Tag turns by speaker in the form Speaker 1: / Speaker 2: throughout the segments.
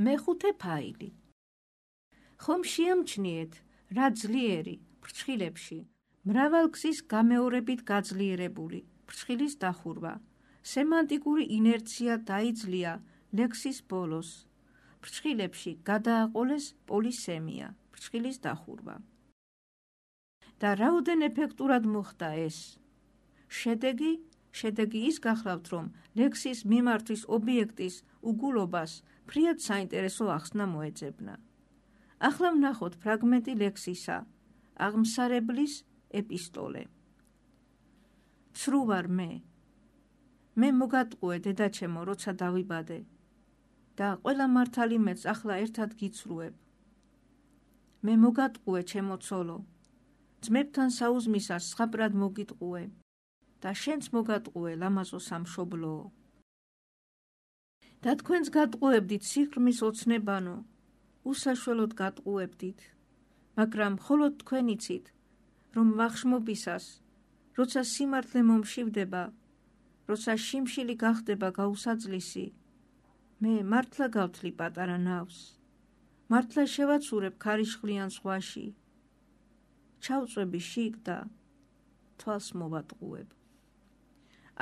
Speaker 1: მეხუთე ფაილი. ხომ შეამჩნიეთ, რა ძლიერი ფრჩხილებში, მრავალგზის გამეორებით გაძლიერებული ფრჩხილის დახურვა, სემანტიკური ინერცია დაიძლია ლექსის ბოლოს. ფრჩხილებში გადააყოლეს პოლისემია, ფრჩხილის დახურვა. და რაოდენ ეფექტურად მოხდა ეს? შედეგი ის გახლავთ, რომ ლექსის მიმართვის ობიექტის უგულობას ფრიად საინტერესო ახსნა მოეძებნა. ახლა ვნახოთ ფრაგმენტი ლექსისა, აღმსარებლის ეპისტოლე. ცრუ ვარ მე მოგატყუე დედაჩემო, როცა დავიბადე და ყველა მართალი მეც ახლა ერთად გიცრუებ. მე მოგატყუე ჩემო ცოლო, ძმებთან საუზმისას სხაბრად მოგიტყუე და შენც მოგატყუე ლამაზო სამშობლოო. და თქვენც გატყუებდით სიღრმის ოცნებანო, უსაშველოდ გატყუებდით, მაგრამ მხოლოდ თქვენ იცით, რომ ვახშმობისას, როცა სიმართლე მომშივდება, როცა შიმშილი გახდება გაუსაძლისი, მე მართლა გავთლი პატარა ნავს, მართლა შევაცურებ ქარიშხლიან ზღვაში, ჩავწვევი შიგ და თვალს მოვატყუებ.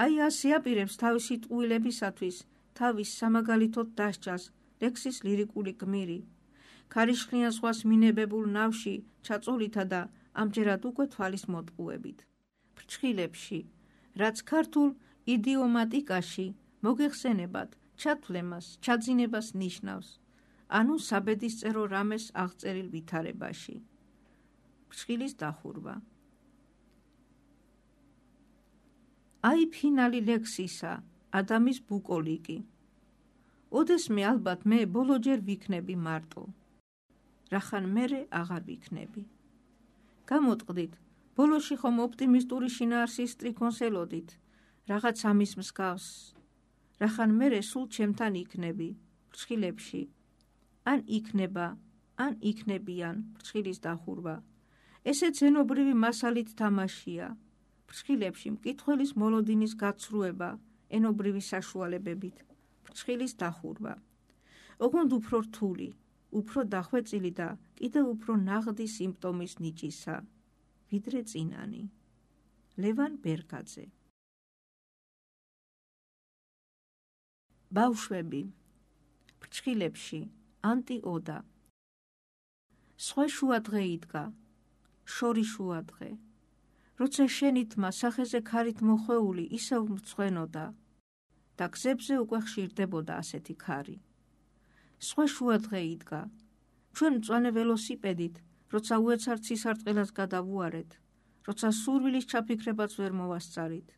Speaker 1: აი ასე აპირებს თავისი ტყუილებისათვის თავის სამაგალითოდ დასჯას ლექსის ლირიკული გმირი, ქარიშხლიან ზღვას მინებებულ ნავში ჩაწოლითა და ამჯერად უკვე თვალის მოტყუებით. ფრჩხილებში, რაც ქართულ იდიომატიკაში მოგეხსენებათ ჩათვლემას, ჩაძინებას ნიშნავს, ანუ საბედისწერო რამეს აღწერილ ვითარებაში. ფრჩხილის დახურვა. აი ფინალი ლექსისა, ადამის ბუკოლიკი. ოდესმე ალბათ მე ბოლოჯერ ვიქნები მარტო, რახან მერე აღარ ვიქნები. გამოტყდით, ბოლოში ხომ ოპტიმისტური შინაარსის სტრიქონს ელოდით, რაღაც ამის მსგავს, რახან მერე სულ ჩემთან იქნები, ფრჩხილებში, ან იქნება, ან იქნებიან, ფრჩხილის დახურვა. ესე ძენობრივი მასალით თამაშია, ფრჩხილებში მკითხველის მოლოდინის გაცრუება, ენობრივი საშუალებებით, ფრჩხილის დახურვა. ოღონდ უფრო რთული, უფრო დახვეწილი და კიდევ უფრო ნაღდი სიმპტომის ნიჭისა, ვიდრე წინანი. ლევან ბერგაძე. ბავშვები, ფრჩხილებში, ანტიოდა. სხვა შუადღე იდგა, შორი შუადღე, როცა შენი თმა სახეზე ქარით მოხვეული ისევ მწვენოდა და გზებზე უკვე ხშირდებოდა ასეთი ქარი. სხვა შუადღე იდგა, ჩვენ მწვანე ველოსიპედით, როცა უეცარ ცისარტყელას გადავუარეთ, როცა სურვილის ჩაფიქრებაც ვერ მოვასწარით,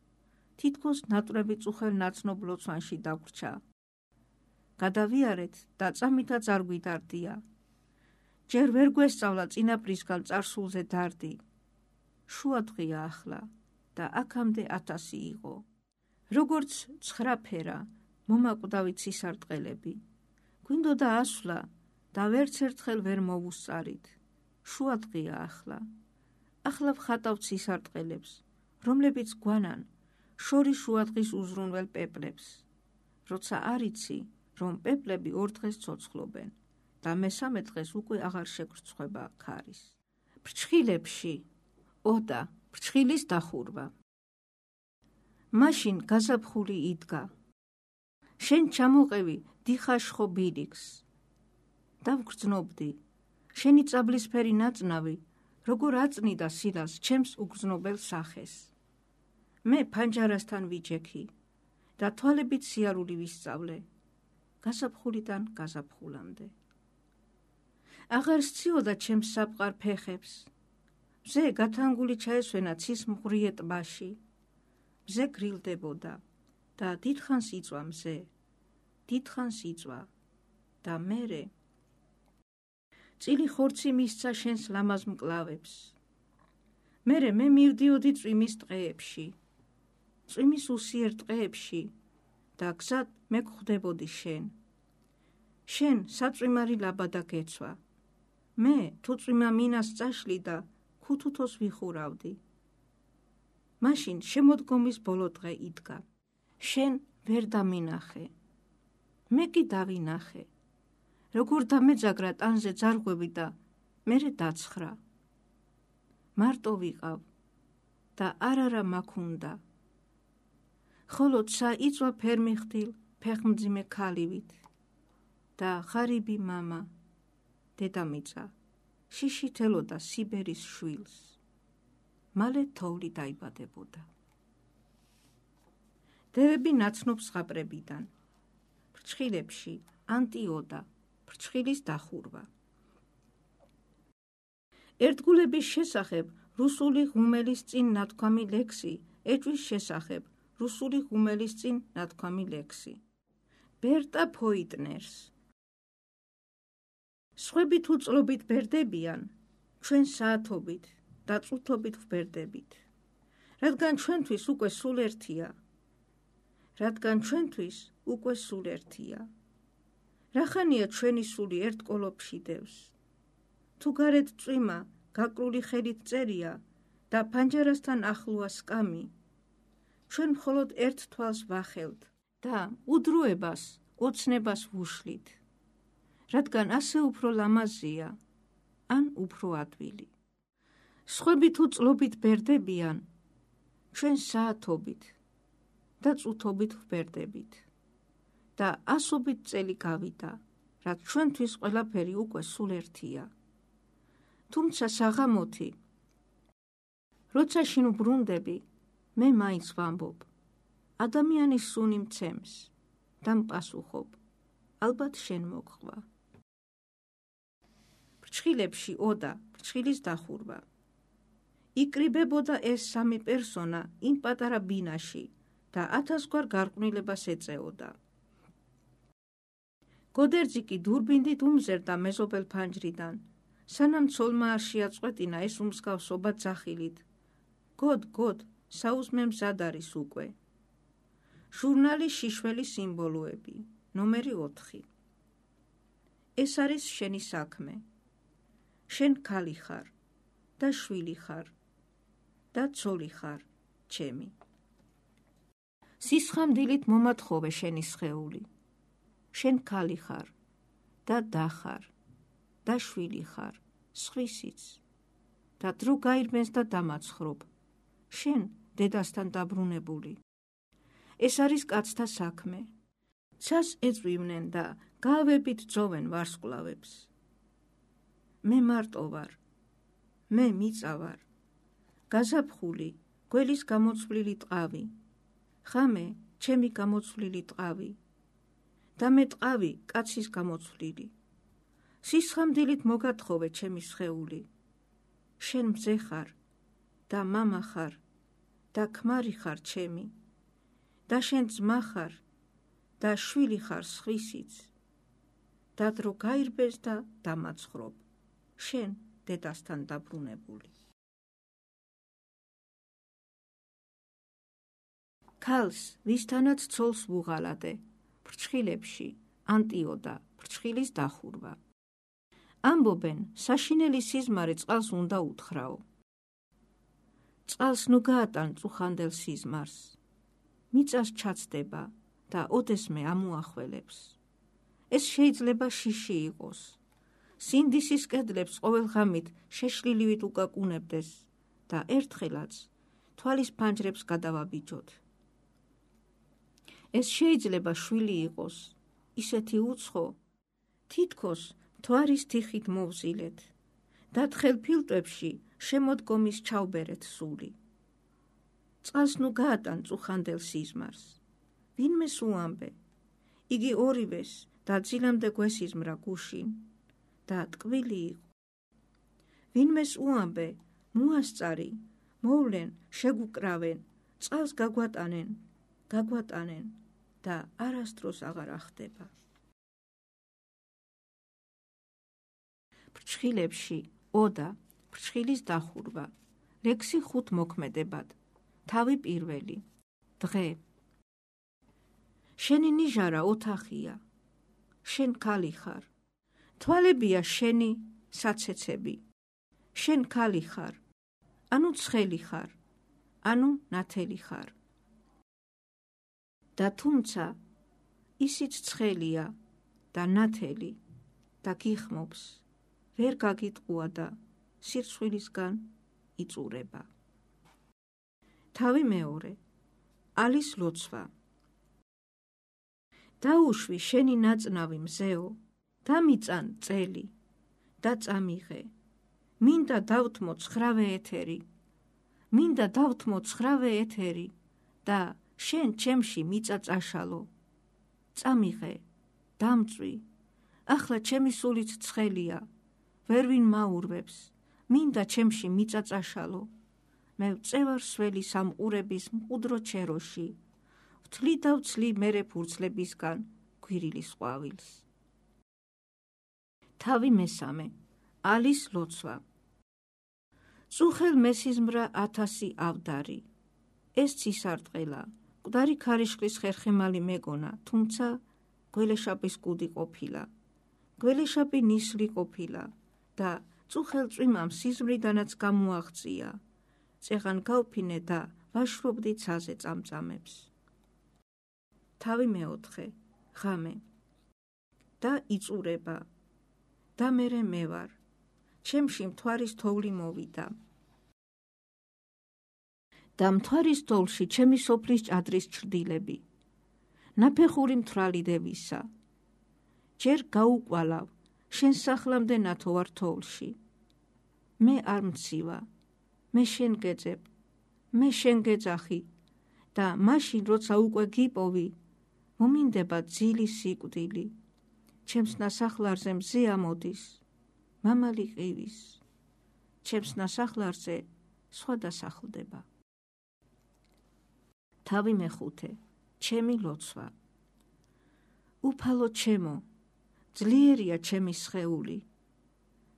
Speaker 1: თითქოს ნატრები წუხელ ნაცნობ ლოცვანში დაგვრჩა. გადავიარეთ და წამითაც არ გვიდარდია. ჯერ ვერ გვესწავლა წინაპრისგან წარსულზე დარდი. შუადღეა ახლა და აქამდე 1000 იყო. როგორც ცხრაფერა, მომაკვდავი ცისარტყელები. გვინდოდა ასვლა და ვერც ერთხელ ვერ მოვუსწარით. შუადღეა ახლა. ახლა ვხატავ ცისარტყელებს, რომლებიც გვანან შორი შუადღის უზრუნველ პეპლებს. როცა არ იცი, რომ პეპლები ორ დღეს ცოცხლობენ და მესამე დღეს უკვე აღარ შეგვრცხვება ქარის. ფრჩხილებში, ოდა, ფრჩხილის დახურვა. მაშინ გაზაფხული იდგა. შენ ჩამოყევი დიხაშხო ბილიქს. დავგრძნობდი, შენი წაბლისფერი ნაწნავი, როგორ აწნიდა სილას ჩემს უგრძნობელ სახეს. მე ფანჯარასთან ვიჯექი და თვალებით სიარული ვისწავლე, გაზაფხულიდან გაზაფხულამდე. აღარ სციოდა ჩემს საფყარ ფეხებს. მზე გათანგული ჩაესვენა ცის მღვრიე ტბაში. მზე გრილდებოდა და დიდხანს იწვა მზე, დიდხანს იწვა და მერე წილი ხორცი მისცა შენს ლამაზ მკლავებს. მერე მე მივდიოდი წვიმის ტყეებში, წვიმის უსიერ ტყეებში და გზად მე გვხვდებოდი შენ. შენ საწვიმარი ლაბადა გეცვა. მე თუ წვიმა მინას წაშლი და ქუთუთოს ვიხურავდი. მაშინ შემოდგომის ბოლო დღე იდგა. შენ ვერ დამინახე. მე კი დავინახე. როგორ დამეძაგრა ტანზე ძარღვები და მერე დაცხრა. მარტო ვიყავ და არა მაქუნდა. ხოლო ცა იწვა ფერმიხდილ ფეხმძიმე ქალივით და ღარიბი მამა დედამიწა შიშითელოდა სიბერის შვილს. მალე თოვლი დაიბადებოდა. დევები ნაცნობ ზღაპრებიდან, ფრჩხილებში ანტიოდა, ფრჩხილის დახურვა. ერთგულების შესახებ რუსული ღუმელის წინ ნათქვამი ლექსი ეჭვის შესახებ რუსული ღუმელის წინ ნათქვამი ლექსი. ბერტა ფოიტნერს. სხვები თუ წლობით ბერდებიან, ჩვენ საათობით და წუთობით ვბერდებით, რადგან ჩვენთვის უკვე სულ ერთია. რახანია ჩვენი სული ერთ კოლოფში დევს. თუ გარეთ წვიმა გაკრული ხელით წერია და ფანჯარასთან ახლოა სკამი, ჩვენ მხოლოდ ერთ თვალს ვახელთ და უდროებას, ოცნებას ვუშლით, რადგან ასე უფრო ლამაზია, ან უფრო ადვილი. სხვები თუ წლობით ბერდებიან, ჩვენ საათობით და წუთობით ვბერდებით და ასობით წელი გავიდა, რაც ჩვენთვის ყველაფერი უკვე სულ ერთია. თუმცა საღამოთი, როცა შინ ვბრუნდები, მე მაინც ვამბობ, ადამიანის სუნი მცემს და მპასუხობ, ალბათ შენ მოგხვა. ფრჩხილებში ოდა, ფრჩხილის დახურვა. იკრიბებოდა ეს სამი პერსონა იმ პატარა ბინაში და 1000 გარყვნილებას ეწეოდა. გოდერძი კი დურბინდით უმზერდა მეზობელ ფანჯრიდან, სანამ ცოლმა არ შეაწყვეტინა ეს უმსგავსობა ძახილით. გოდ, საუზმე მზად არის უკვე. ჟურნალის შიშველი სიმბოლოები, ნომერი 4. ეს არის შენი საქმე. შენ ქალი ხარ და შვილი ხარ და ცოლი ხარ, ჩემი. სისხამდილით მომათხოვე შენი სხეული. შენ ქალი ხარ და და ხარ და შვილი ხარ, სხვისიც და დრო გაირბენს და დამაცხრობ. შენ დედასთან დაბრუნებული. ეს არის კაცთა საქმე. ცას ეწვივნენ და გავებით ძოვენ ვარსკვლავებს. მე მარტო ვარ, მე მიწა ვარ, გაზაფხული, გველის გამოცვლილი ტყავი, ხამე, ჩემი გამოცვლილი ტყავი და მე ტყავი კაცის გამოცვლილი. სისხამდილით მოგათხოვე ჩემი სხეული. შენ მზე ხარ და მამა ხარ და ქმარი ხარ ჩემი და შენ ძმა ხარ და შვილი ხარ სხვისიც და დრო გაირბეს და დამაცხრობ. შენ დედასთან დაბრუნებული. ქალს, ვისთანაც ცოლს ვუღალადე, ფრჩხილებში ანტიოდა, ფრჩხილის დახურვა. ამბობენ, საშინელი სიზმარი წყალს უნდა უთხრაო. წყალს ნუ გაატან წუხანდელ სიზმარს. მიწას ჩაცდება და ოდესმე ამუახველებს. ეს შეიძლება შიში იყოს. სინდისის კედლებს ყოველღამით შეშლილივით უკაკუნებდეს და ერთხელაც თვალის ფანჯრებს გადავაბიჯოთ. ეს შეიძლება შვილი იყოს, ისეთი უცხო, თითქოს მთვარის თიხით მოვზილეთ და თხელ ფილტვებში შემოდგომის ჩავბერეთ სული. წყალს ნუ გაატან წუხანდელ სიზმარს. ვინმეს უამბე, იგი ორივეს და ძილამდე გვესიზმრა გუშინ და ტკბილი იყო. ვინმეს უამბე, მოასწარი, მოვლენ, შეგუკრავენ, წყალს გაგვატანენ და არასდროს აღარ ახდება. ფრჩხილებში ოდა, ფრჩხილის დახურვა. ლექსი 5 მოქმედებად. თავი პირველი. დღე. შენი ნიჟარა ოთახია. შენ ქალი ხარ. თვალებია შენი საცეცები. შენ ქალი ხარ. ანუ ცხელი ხარ. ანუ ნათელი ხარ. და თუმცა ისიც ცხელია და ნათელი და გიხმობს, ვერ გაგიტყუა და სირცხვილისგან იწურება. თავი მეორე. ალის ლოცვა. დაუშვი შენი ნაწნავი მზეო, დამიწან წელი და წამიღე. მინდა დავთმო ცხრავე ეთერი, მინდა დავთმო ცხრავე ეთერი და შენ ჩემში მიწაწაშალო. წამიღე, დამწვი, ახლა ჩემი სულით ცხელია, ვერვინ მაურვებს, მინდა ჩემში მიწაწაშალო. მე ვწევარ სველი სამყურების მყუდრო ჩეროში, ვთლი და ვცლი მერე ფურცლებისგან გვირილის ყვავილს. თავი მესამე. ალის ლოცვა. წუხელ მესიზმრა 1000 ავდარი. ეს ცისარტყელა, მკვდარი ქარიშხლის ხერხემალი მეგონა, თუმცა გველეშაპის კუდი ყოფილა. გველეშაპი ნისლი ყოფილა და წუხელ წვიმამ სიზმრიდანაც გამოაღწია. წეღან გავფინე და ვაშრობდი ცაზე წამწამებს. თავი მეოთხე. ღამე. და იწურება. და მერე მე ვარ. ჩემში მთვარის თოვლი მოვიდა. და მთვარის თოვლში ჩემი სოფლის ჭადრის ჩრდილები. ნაფეხური მთვრალი დევისა. ჯერ გაუკვალავ, შენ სახლამდე ნათო ვარ თოვლში. მე არ მცივა, მე შენ გეძებ, მე შენ გეძახი და მაშინ როცა უკვე გიპოვი, მომინდება ძილი სიკვდილი. ჩემს ნასახლარზე მზე ამოდის, მამალი ყივის. ჩემს ნასახლარზე სხვა დასახლდება. თავი მეხუთე. ჩემი ლოცვა. უფალო ჩემო, ძლიერია ჩემი სხეული.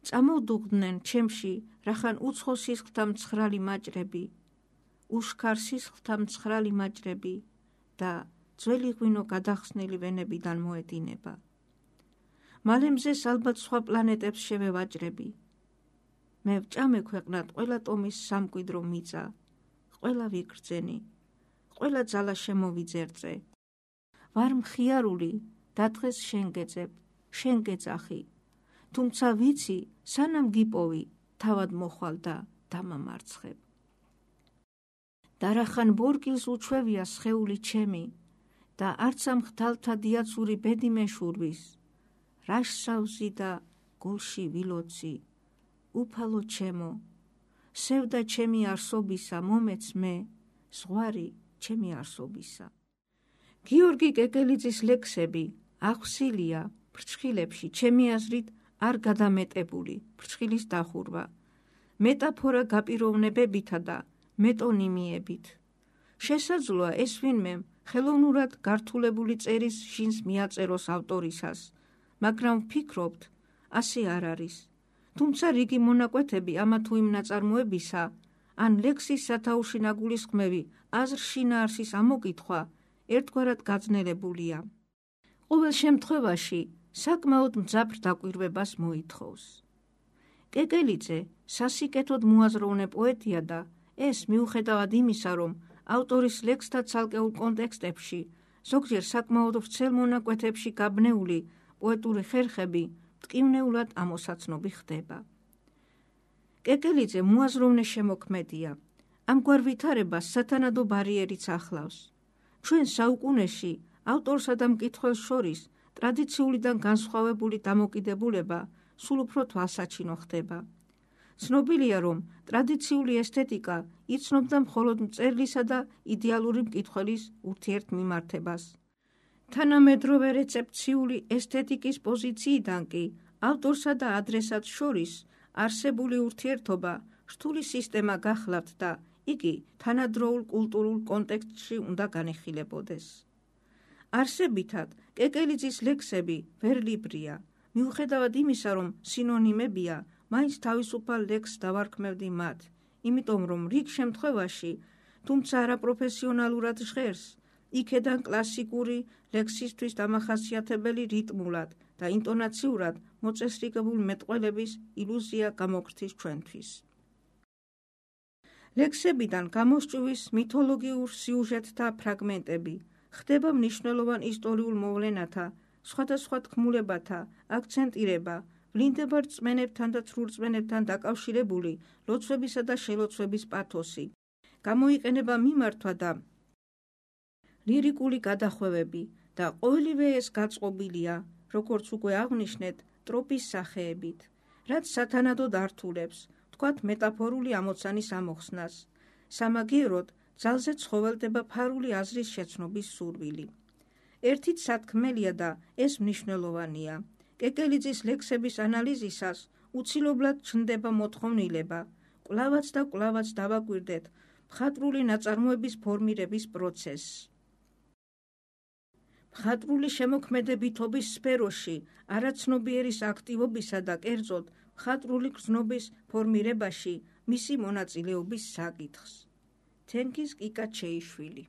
Speaker 1: წამოვდუღდნენ ჩემში რახან უცხო სისხლთა მცხრალი მაჭრები, უშქარ სისხლთა მცხრალი მაჭრები და ძველი ღვინო გადახსნილი ვენებიდან მოედინება. მალე მზეს ალბათ სხვა პლანეტებს შევევაჭრები. მე ვჭამე ქვეყნად ყველა ტომის სამკვიდრო მიწა, ყველა ვიგრძენი, ყველა ძალა შემოვიძერწე. ვარ მხიარული და დღეს შენ გეძებ, შენ გეძახი, თუმცა ვიცი, სანამ გიპოვი, თავად მოხვალ და დამამარცხებ. და რახან ბორკილს უჩვევია სხეული ჩემი და არც ამ ხდალთა დიაცური ბედი მეშურვის, რაშსავსი და გულში ვილოცი, უფალო ჩემო, სევდა ჩემი არსობისა მომეც მე, ზღვარი ჩემი არსობისა. გიორგი კეკელიძის ლექსები აღსილია ფრჩხილებში ჩემი აზრით არ გადამეტებული ფრჩხილის დახურვა, მეტაფორა გაპიროვნებებითა და მეტონიმიებით. შესაძლოა ეს ვინმე ხელოვნურად გართულებული წერის შინს მიაწეროს ავტორისას, მაგრამ ვფიქრობთ, ასე არ არის. თუმცა რიგი მონაკვეთები ამა თუ იმ ნაწარმოებისა, ან ლექსის სათაურში ნაგულისხმევი აზრ შინაარსის ამოკითხვა ერთგვარად გაძნელებულია. ყოველ შემთხვევაში საკმაოდ მძაფრ დაკვირვებას მოითხოვს. კეკელიძე სასიკეთოდ მოაზროვნე პოეტია და ეს მიუხედავად იმისა, რომ ავტორის ლექსთა ცალკეულ კონტექსტებში, ზოგჯერ საკმაოდ ვრცელ მონაკვეთებში გაბნეული პოეტური ხერხები მტკივნეულად ამოსაცნობი ხდება. კეკელიძე მოაზროვნე შემოქმედია. ამგვარ ვითარებას სათანადო ბარიერიც ახლავს. ჩვენ საუკუნეში ავტორსა და მკითხველს შორის ტრადიციულიდან განსხვავებული დამოკიდებულება სულ უფრო თვალსაჩინო ხდება. ცნობილია, რომ ტრადიციული ესთეტიკა იცნობდა მხოლოდ მწერლისა და იდეალური მკითხველის ურთიერთმიმართებას. თანამედროვე რეცეპციული ესთეტიკის პოზიციიდან კი ავტორსა და ადრესატს შორის არსებული ურთიერთობა რთული სისტემა გახლავთ და იგი თანადროულ კულტურულ კონტექსტში უნდა განეხილებოდეს. არსებითად, კეკელიძის ლექსები ვერლიბრია, მიუხედავად იმისა, რომ სინონიმებია, მაინც თავისუფალ ლექსს დავარქმევდი მათ, იმიტომ რომ რიგ შემთხვევაში, თუმცა არაპროფესიონალურად ჟღერს, იქედან კლასიკური ლექსისთვის დამახასიათებელი რიტმულად და ინტონაციურად მოწესრიგებულ მეტყველების ილუზია გამოგრთის ჩვენთვის. ლექსებიდან გამოსჭვის მითოლოგიურ სიუჟეტთა ფრაგმენტები, ხდება მნიშვნელოვან ისტორიულ მოვლენათა სხვადასხვა თქმულებათა აქცენტირება, ვლინდება რწმენებთან და ცრურწმენებთან დაკავშირებული ლოცვებისა და შელოცვების პათოსი, გამოიყენება მიმართვა და ლირიკული გადახვევები და ყოველივე ეს გაწყობილია, როგორც უკვე აღვნიშნეთ, ტროპის სახეებით, რაც სათანადოდ ართულებს, თქვათ მეტაფორული ამოცანის ამოხსნას. სამაგიეროდ ძალზე ცხოველდება ფარული აზრის შეცნობის სურვილი. ერთით სათქმელია და ეს მნიშვნელოვანია. კეკელიძის ლექსების ანალიზისას უცილობლად ჩნდება მოთხოვნილება, კვლავაც და კვლავაც დავაკვირდეთ მხატვრული ნაწარმოების ფორმირების პროცესს. მხატვრული შემოქმედებითობის სფეროში არაცნობიერის აქტივობისა და კერძოდ მხატვრული გრძნობის ფორმირებაში მისი მონაწილეობის საკითხს. თენგიზ კიკაჩეიშვილი.